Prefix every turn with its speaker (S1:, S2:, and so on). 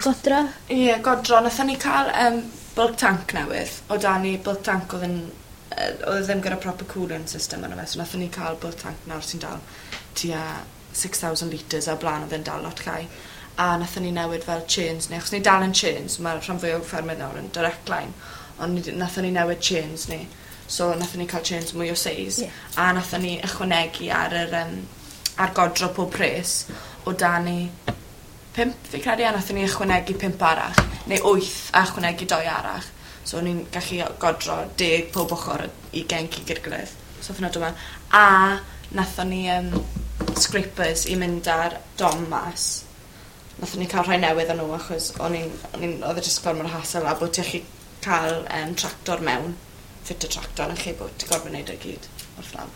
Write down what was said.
S1: Godro.
S2: Ie godro nathon ni ca'l yym bulk tank newydd. O' 'da ni bulk tank odd yn odd e ddim gyda proper cooling system arno fe so nathon ni ca'l bulk tank nawr sy'n dal tua 6,000 litres a o' bla'n odd e'n dal lot llai. A nathon ni newid fel chains ni achos ni dal yn chains ma' rhan fwya o ffermydd nawr yn direct line on' ni 'di nathon ni newid chains ni. So nathon ni ca'l chains mwy o seis.
S1: Ie.
S2: A nathon ni ychwanegu ar yr yym ar godro pob rhes o' 'da ni pump fi credu a nathon ni ychwanegu pump arall neu wyth a ychwanegu doi arall. So o'n ni'n gallu godro 10 pob ochor ugen cig i'r gilydd. So odd hwnna do' mewn. A nathon ni scrapers i mynd â'r don mas. Nathon ni ca'l rhai newydd o n'w achos o'n i'n o'n i'n odd e jyst gormod o hassle a bo' ti allu ca'l tractor mewn ffitio tractor yn lle bot ti gorfod neud e gyd wrth law.